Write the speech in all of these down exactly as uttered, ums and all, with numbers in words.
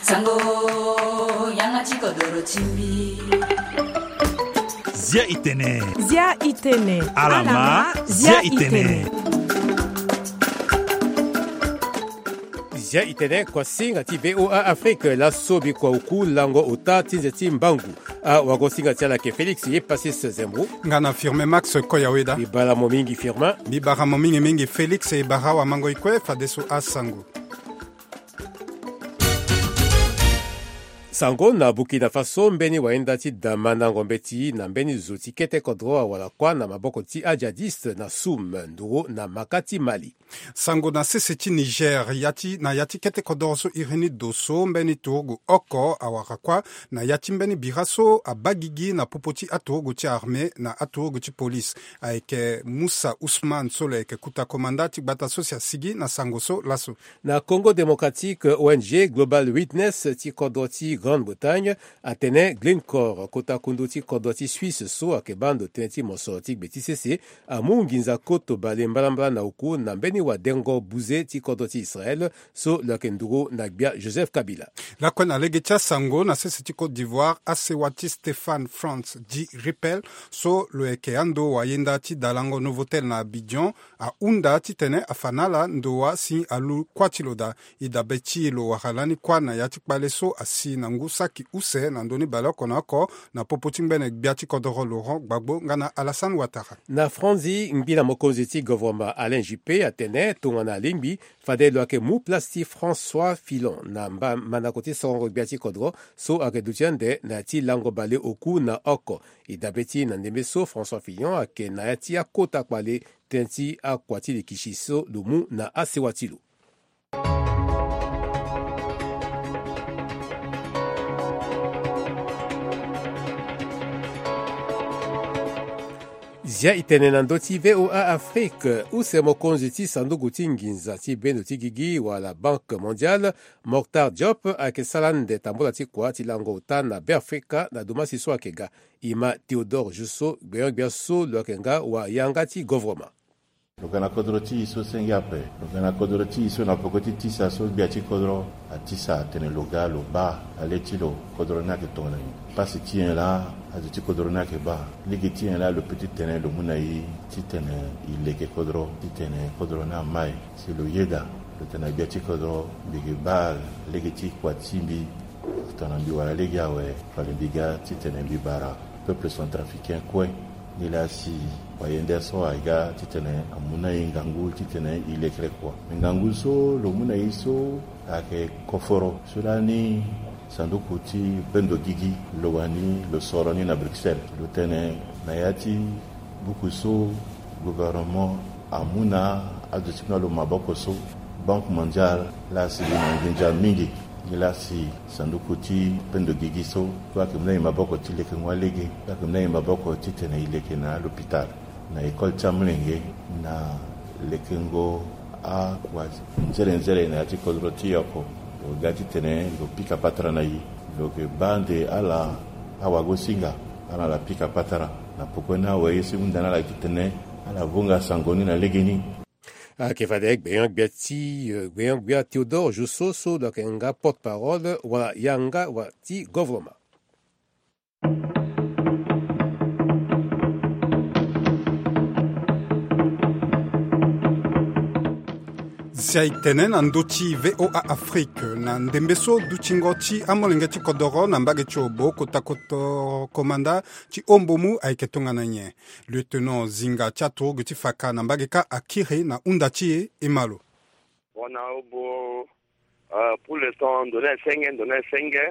Sango, yanga ti kodoro ti mbi. Zia itene. Zia itene. Alama, zia itene. Zia itene, kuasinga ti V O A Afrique, laso bikua oku lango ota ti nze ti mbangu. Awagosinga ti ala ayeke Félix ye Pasis Zembro. Nga na Firmin Max Koyaweda. Mbi bara mo mingi Firmin. Mbi bara mo mingi mingi Félix, e bara awamango e kue fadeso asango. Sango na Burkina Faso, mbeni wayenda ti damandango mbeti na mbeni zo ti kete kodro awara kuâ na maboko ti ajihadiste na Soum, nduru na maka ti Mali. Sango na sese ti Niger, ya ti, na ya ti kete kodoro so iri ni do so mbeni turugu oko awara kuâ na ya ti mbeni bira so abaa gigi na popo ti aturugu ti armée na aturugu ti police. Ayeke Moussa Ousmane so lo yeke kuta komanda ti gbata so si asigi na sango so laso. Na Congo Démocratique, O N G Global Witness ti kodro ti Grande-Bretagne atene Glencore, kota kundu ti kodro ti Suisse so ayeke baa ndo tënë ti mosoro ti gbe ti sese, amu nginza koto bale mbalambala na oku na mbeni wadengo buze ti kodro ti Israël so lo yeke nduru na gbia Joseph Kabila. Lakue na lege ti asango, na sese ti Côte d'Ivoire, asewa ti Stéphane France Di Ripel so lo yeke ando wayenda ti dalango Novotel na Abidjan, ahunda titene afa na ala ndo wa si alu kuâ ti lo daa. E dabe ti e lo wara lani kuâ na ya ti kpale so asi na ngu saki use na ndö ni baleoko na oko na popo ti ngbene gbia ti kodoro Laurent Gbagbo nga na Alassane Ouattara. Na Franzi, ngbi na mokonzi ti govoroma Alain Juppé atene tongana alingbi, fade lo yeke mu place ti François Fillon na mba, mandako ti sorongo gbia ti kodro so ayeke duti ande na ya ti lango bale oku na oko. E dabe ti e na ndembe so François Fillon ayeke na ya ti akota kpale tënë ti akua ti likisi so lo mu na asewa ti lo. Zia itene na ndö ti V O A Afrique, use mokonzi ti sanduku ti nginza ti bendo ti gigi wala Banque Mondiale, Moctar Diop, ayeke sara ande tambula ti kua ti lango ota na Beafrika na dumasi so ayeke ga. E ma Théodore Jousso, gbenyo-gbia so lo yeke nga wayanga ti govoroma. Lo ga na kodro ti e so senge ape. Lo ga na kodro ti e so na poko ti tisa so gbia ti kodro atisa atene lo ga lo baa ale ti lo kodro ni ayeke tongana nyen. Pasi ti nyen laa azo ti kodro ni ayeke baa. Lege ti nyen laa lo peut ti tene lo mu na e titene e leke kodro titene kodro ni ama e. Si lo yeda lo tene na gbia ti kodro mbi yeke baa lege ti kua ti mbi. Tongana mbi wara lege awe, fade mbi ga titene mbi bara peuple centrafricain kue. Nilaa si wayende so aga titene amu na e ngangu titene e lekere kua. Me ngangu so lo mu na e so ayeke koforo so lani sanduku ti bendo gigi lo wani lo soro ni na Bruxelles. Lo tene na ya ti buku so gouvernement amu na azo ti kpena lo maboko so, Banque Mondiale laa si gi na nginza mingi. Nilaa si sanduku ti pendo gigi so so ayeke mu na e maboko ti lekengo alege, so ayeke mu na e maboko titene e leke na alopitale, na école ti amolenge, na lekengo akua nzere nzere na ya ti kodro ti e oko. Lo ga titene lo pika patara na e. Lo yeke baa nde ala awagosinga, ala na ala pika patara. Na pokoni awe ye so e hunda na ala titene ala vonga sango ni na legeni. Ayeke fade gbenyo-gbia ti, eh, gbenyo-gbia Théodore Jousso so lo yeke nga porte-parole wala yanga wala ti govoroma. Zia e tene na ndö ti V O A Afrique, na ndembe so dutingo ti amolenge ti kodoro na mbage ti obo kota koto komanda ti ombomu ayeke tongana nyen. Lieutenant Zinga ti aturugu ti faka na mbage kâ akiri na hunda ti e, e ma lo. Bon, na obo, euh, pour l'instant, ndo ni asenge, ndo ni asenge.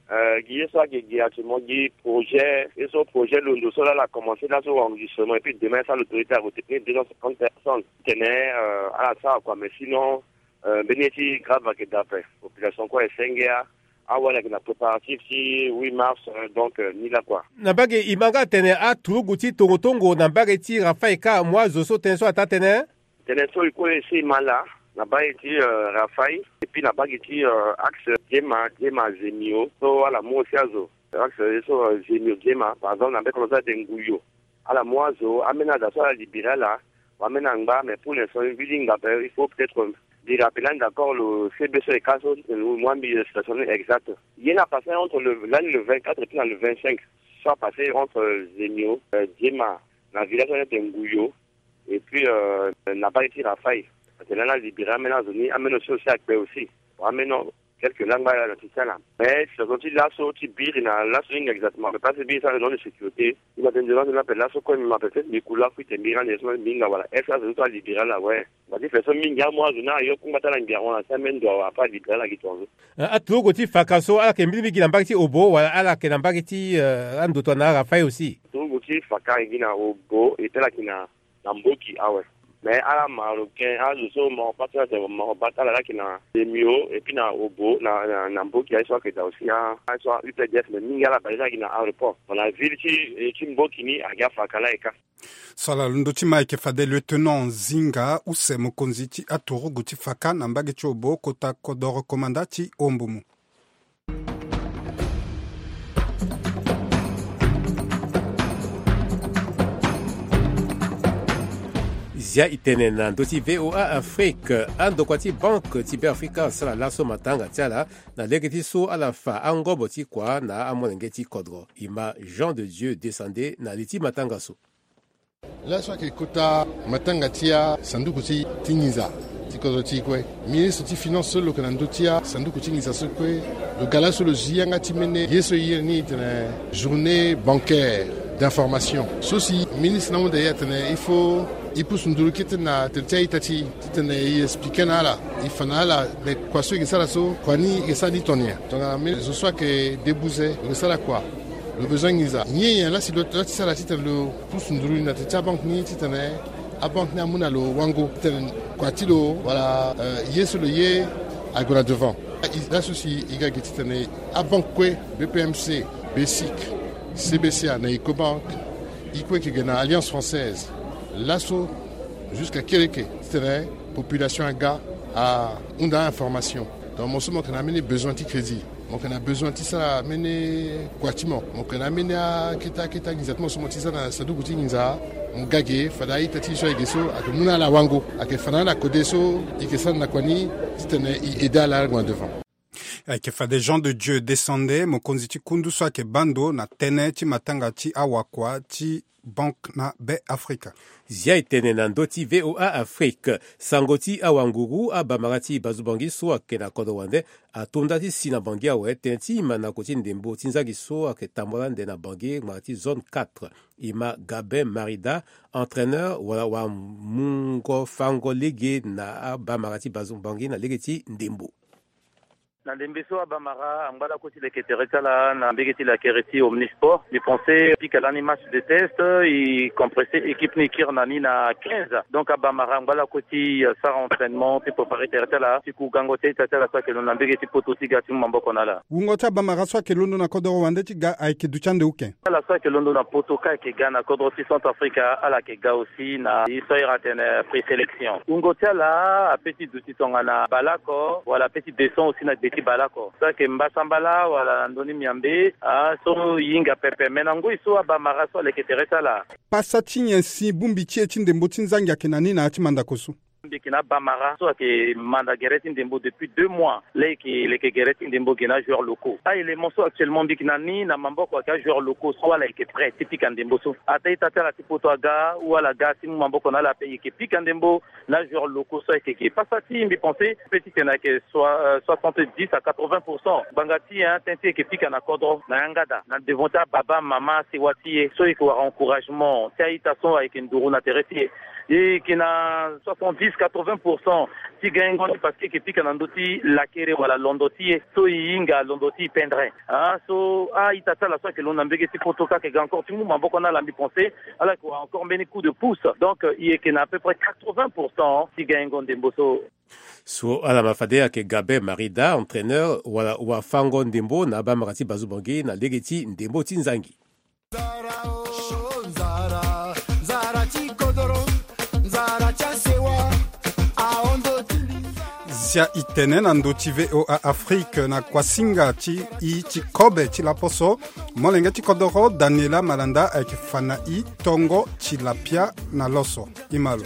Euh, gi ye so ayeke gi actuellement gi projet, ye so projet londo so laa ala commencé laso enregistrement, et puis demain ça l'autorité a retenir deux cent cinquante personnes. Tene, euh, ala sara kua, mais sinon, euh, mbeni ye ti grave ayeke daa ape. Population kue asenge a, awali ayeke na préparatif ti huit mars, euh, donc, euh, ni laa kua. Na mbage e ma nga atene aturugu ti tongo tongo na mbage ti Rafaï kâ amu azo so tënë so ataa tënë. Tënë so e kue e si e ma laa na mbage ti, euh, Rafaï, et puis na mbage ti, euh, axe Diema, Diema Zemio, so ala mu aussi azo. Axe ye so, euh, Zemio Diema, par exemple, na mbage kolo so atene Nguyo. Ala mu azo, ambeni ada so ala libéré ala, wala ambeni angba, mais pour l'instant, e vit ti hinga ape, il faut peut-être, euh, Mbi rappeler d'accord le C B C et Kaso, moi mbi situation exacte. Ye na passé entre le l'année le vingt-quatre et puis na le vingt-cinq, soit passé entre Zemio, euh, Diema, na village wana ete Nguyo, et puis euh, na bari ti Rafaï. Parce que là na libéré amena zoni amena aussi aussi akpe aussi. Amena quelques langues là na ti sala. Mais surtout ti laso ti biri na laso ni exactement, mais pas biri ça non de sécurité. Il m'a tenu devant la paix laso comme il m'a fait mi kula kuite mbi rendre son minga voilà. Est-ce que ça libéré là ouais. Ba ti fait son mingi amois na yo kumba tala ngia on a ça men doit pas libéré là qui tourne. Aturugu ti faka so ala yeke mbirimbiri gi na mbage ti Obo wala ala yeke na mbage ti andoto na Rafaï aussi? Aturugu ti faka gi na Obo et ala yeke na na Mboki awe. Mais ala Marocain azo so Maroc pas ala Maroc bat ala laki na Zemio et puis na Obo na na Mboki aye so ayeke daa aussi aye so U P D F mais mingi ala bale laki na aéroport. Bon na ville ti ti Mboki ni agi afaka la eka. So ala londo ti ma ayeke fade lieutenant Zinga use mokonzi ti aturugu ti faka na mbage ti Obo kota kodoro komanda ti Ombumu. Zia itene na ndö ti V O A Afrique. Andokua ti banque ti Beafrika asara laso matanga ti ala na lege ti so ala fa angobo ti kua na amolenge ti kodro. E ma Jean de Dieu Desande na li ti matanga so. Laso ayeke kota matanga ti asanduku ti ti nginza ti kodro ti e kue. Ministre ti finance so lo yeke na ndö ti asanduku ti nginza so kue lo ga laso lo zi yanga ti mene ye so e iri ni tene journée bancaire d'information. So si ministre ni ahunda e atene il faut e pusu nduru kete na tere ti a-ita ti e titene e explike na ala, e fa na ala me kua so e yeke sara so kua ni e yeke sara ni tongana nyen. Tongana me zo so ayeke debuze lo yeke sara kua. Lo besoin nginza nyen nyen la si lo ti sara titene lo pusu nduru ni na tere ti abanke ni titene abanke ni amu na lo wango titene kua ti lo wala ye so lo ye ague na devant. Laso si e ga ge titene abanke kue, B P M C, BECIC, C B C A na Ecobank, e kue e yeke ge na Alliance Française. Laso jusqu'à kereke titene population aga ahunda information. Donc mo so mo yeke na mbeni besoin ti crédit, mo yeke na besoin ti sara mbeni kua ti mo, mo yeke na mbeni akete akete anginza ti mo so mo ti sara na saduku ti nginza. Mo ga ge fade a-ita ti e so ayeke so ayeke mu na ala wango, ayeke fa na ala kode so e yeke sara na kua ni titene e aide ala ague na devant. Ayeke fade Jean de Dieu Desande, mokonzi ti kundu so ayeke baa ndo na tënë ti matanga ti awakua ti banke na Be Afrika. Zia e tene na ndö ti V O A Afrique. Sango ti awanguru abamara ti Bazu Bangi so ayeke na kodro wande ato nda ti si na Bangi awe tënë ti mandako ti ndembo ti nzangi so ayeke tambula ande na Bangi ngbanga ti zone quatre. E ma Gabin Marida, entraîneur wala wamungo fango lege na abamara ti Bazu Bangi na lege ti ndembo. Na ndembe so abamara angba lakue ti leke tere ti ala na mbege ti lakere ti Omnisport. Mbi pense pika lani match de test, e compresse équipe ni e kiri na ni na quinze. Donc abamara angba lakue ti sara entraînement ti préparer tere ti ala ti ku gango ti a-ita ti ala so ayeke londo na mbege ti poto ti ga ti mu maboko na ala. Wungo ti abamara so ayeke londo na kodoro wande ti ga ayeke duti ande uke? Ala so ayeke londo na poto ka ayeke ga na kodro ti Centrafrique, ala yeke ga aussi na ye so ahiri atene présélection. Wungo ti ala ape ti duti tongana baleoko wala ape ti descend aussi na gbe ti baleoko. So ayeke mbasambala wala na ndö ni miambe, ah, so e hinga pepe. Me na ngoi so abamara so aleke tere ti ala. Pasa ti nyen si bongbi ti e ti ndembo ti nzangi ayeke na ni na ya ti mandako so? Mbi yeke na abamara so ayeke manda gere ti ndembo depuis deux mois. Laa e yeke leke gere ti ndembo ge na ajoueurs locaux. A-élément so actuellement mbi yeke na ni na maboko ayeke ajoueurs locaux so ala yeke prêt ti pika ndembo so. Ata a-ita ti ala ti poto aga ou ala ga ti mu maboko na ala ape, e yeke pika ndembo na ajoueurs locaux so ayeke ge. Pasa ti e mbi pense pe titene ayeke soi- euh, soixante-dix à quatre-vingts pour cent. Ngbanga ti e, hein, tënë ti e yeke pika na kodro na yanga daa na devant ti ababa mama asewa ti e so e yeke wara encouragement ti a-ita so ayeke nduru na tere ti e. E yeke na soixante-dix, quatre-vingts pour cent ti gango ni parce que e yeke pika na ndö ti lakere wala londo ti e so e hinga londo ti e pendere. Ah, so a-ita ti ala so ayeke londo na mbege ti poto ka ayeke ga encore ti mu maboko na ala, mbi pense ala yeke wara encore mbeni coup de pouce. Donc, euh, e yeke na à peu près quatre-vingts pour cent ti gango ndembo so. So ala ma fade ayeke Gabin Marida, entraîneur wala wafango ndembo na abamara ti Bazu Bangi na lege ti ndembo ti nzangi. Zia e tene na ndö ti V O A Afrique na kuasinga ti e ti kobe ti laposo. Molenge ti kodoro Daniela Malanda ayeke fa na e tongo ti lapia na loso. E ma lo.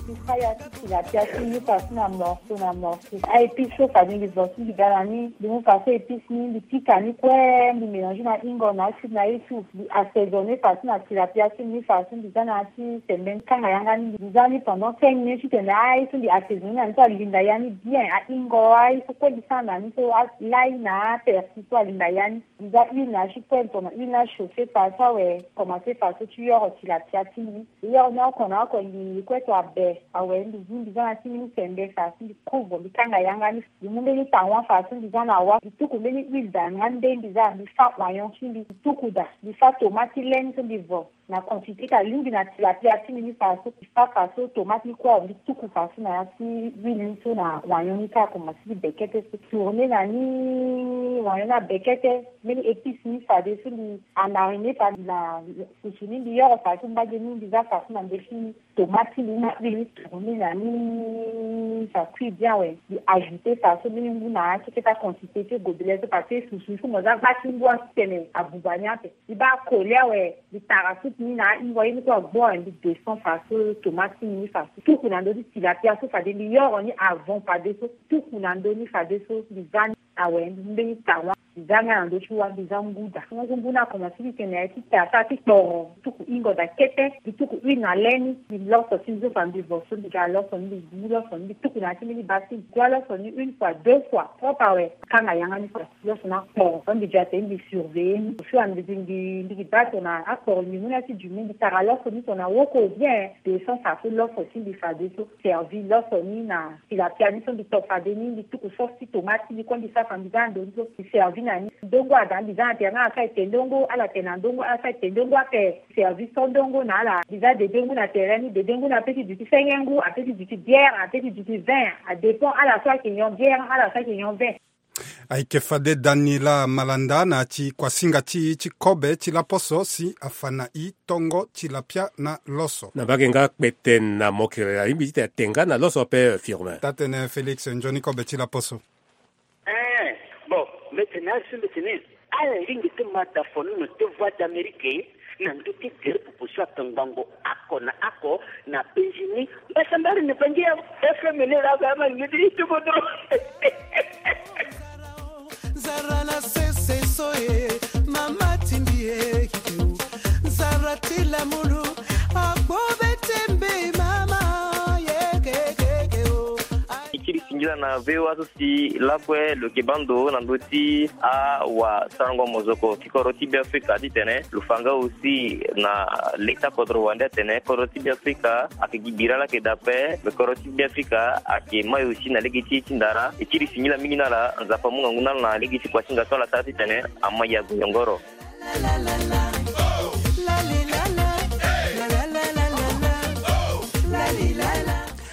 Mbi fa ya ti tilapia ti mbi ni fa so na morceau na morceau. Aépice so fade mbi vo so mbi ga na ni, mbi mu fa so épice ni, mbi pika ni kue, mbi mélange na ingo na acide na ye tout. Mbi assaisonne fa so na tilapia ti mbi ni fa so mbi za na ya ti sembe ni kanga yanga ni. Mbi za ni pendant cinq minutes titene aye so mbi assaisonne na ni so alinda ya ni bien. Aingo aye so kue mbi sara na ni so alai na apersil so alinda ya ni. Mbi za huile na ya ti kue, mbi tongana huile ni achauffé fa so awe, commencé fa so ti yoro tilapia ti mbi. Yoro ni oko na oko, mbi kue to abe awe, mbi zi mbi za na ti mbi ni sembe fa so mbi couvre, mbi kanga yanga ni. Mbi mu mbeni tawa fa so mbi za na wa, mbi tuku mbeni huile daa nga nde mbi za, mbi fa oignon ti mbi, mbi tuku daa, mbi fa tomate ti le ni so mbi vo. Na quantité ti alingbi na tilapia ti mbi ni fa so, mbi fa fa so tomate ni kue awe, mbi tuku fa so na ya ti huile ni so na oignon ni kâ, akomanse ti bekete so. Tourné na ni, oignon ni abekete, mbeni épice ni fade so mbi amarine fa mbi na susu ni, mbi yoro fa so mbage ni, mbi za fa so na ndö ti tomate ti mbi ni na huile ni tourné na ni, ça cuit bien awe. Mbi ajouté fa so mbeni ngu na ya ti kete quantité ti gobelet so, parce que susu so mo za gba ti ngu ape titene abuba ni ape. Mbi baa collé awe, mbi tara soupe ni na ahingo, ye ni kue agbu awe, mbi descend fa so tomate ti mbi ni fa so. Tuku na ndö ti tilapia so fade mbi yoro ni avant fade so. Tuku na ndö ni fade so mbi za ni awe, mbi mu mbeni tawa. Mbi za nga na ndö ti wa, mbi za ngu daa. Ngu, ngu ni akomanse ti tene aye ti te asara ti kporo. Mbi tuku hingo daa kete, mbi tuku huile na le ni, mbi loso ti mbi so fa mbi vo so, mbi ga loso ni, mbi gbu loso ni, mbi tuku na ya ti mbeni bassine. Mbi gbu aloso ni une fois, deux fois, propre awe. Kanga yanga ni fa. Loso ni akporo, so mbi gi atene mbi surveiller ni. Au fur et à mesure mbi, mbi gi baa tongana akporo ni mu na ya ti du ni, mbi tara loso ni tongana woko bien. Descend fa so loso ti mbi fade so, servi loso ni na tilapia ni so mbi to fade ni, mbi tuku sauce ti tomate ti mbi kue, mbi sara fa mbi za na ndö ni so, mbi servi na ni. Ndongo ada, mbi za na tere nga ala sara ete ndongo, ala tene na ndongo, ala sara ete ndongo ape. Servi so ndongo na ala. Mbi za dede ngu na tere ni, dede ngu ni ape ti duti senge ngu, ape ti duti bière, ape ti duti vin. Adépend ala so ayeke nyon bière, ala so ayeke nyon vin. Ayeke fade Daniela Malanda na ya ti kuasinga ti, ti kobe ti laposo si afa na i tongo tilapia na loso. Na mbage nga kpeten na mokere alingbi ti tene atenga na loso ape, Firmin. Taa-tene Félix, nzoni kobe ti laposo. Eh, bon, mbi tene asi mbi tene, ala lingbi ti ma da fono na te Voix d'Amérique na ndö ti gere popo so atongbango oko na oko na penzi ni. Mbasambari ni bangi ya F M ni la ba ma ngidi ti bodo. Zara na sese so e, mama ti mbi e, zara ti lamulu, agbo be ti mbi mama, ye ke ke ke o. Ti kiri singila na V O A so si lakue lo yeke baa ndo na ndö ti awasarango mozoko ti kodro ti Beafrika titene lo fa nga aussi na leta kodro wande atene kodro ti Beafrika ayeke gi bira laa ayeke daa ape, me kodro ti Beafrika ayeke mai aussi na lege ti e ti ndara. E kiri singila mingi na ala, Nzapa amu ngangu na ala na lege ti kuasinga so ala sara titene ama yago yongoro.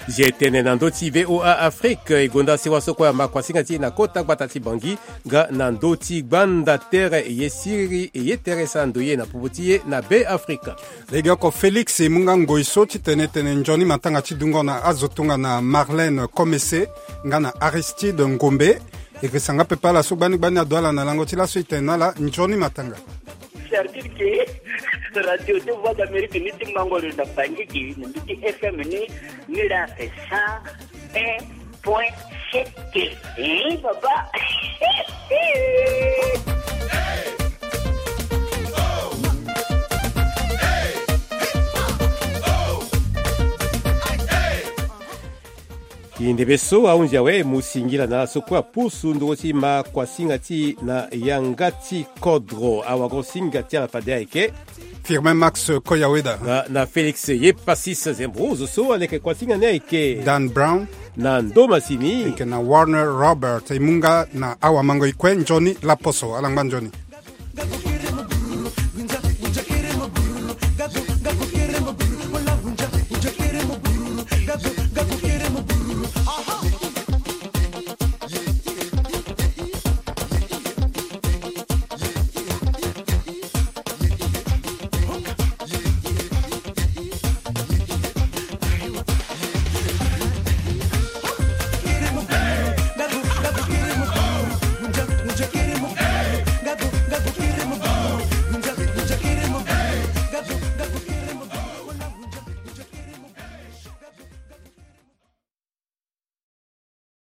Zi e tene na ndö ti V O A Afrique, e gonda sewa so kue ama kuasinga ti e na kota gbata ti Bangui, nga na ndö ti gbanda tere e ye siriri e ye tere sara ndoye na popo ti e na Beafrika. Legeoko Félix e mu nga ngoi so titene e tene nzoni matanga ti dungo na azo tongana Marlène Comessé nga na Aristide Ngombe. E yeke sanga pepe ala so gbani gbani ado ala na lango ti laso e tene na ala nzoni matanga. C'est-à-dire que radio ti Voix d'Amérique ni ti mango lo na Bangui gi na mbi ti F M ni, ni la fait cent un point sept. Hein, papa. Kindebe so ahunzi awe, e mu singila na ala so kue apusu nduru ti ma kuasinga ti e na yanga ti kodro. Awagosinga ti ala fade ayeke Firmin Max Koyaweda. Na, na Félix Yepasis Zembro, zo so aleke kuasinga ni ayeke Dan Brown. Na ndo masini. Ayeke na Warner Robert, e mu nga na awamango e kue nzoni laposo, ala ngba nzoni.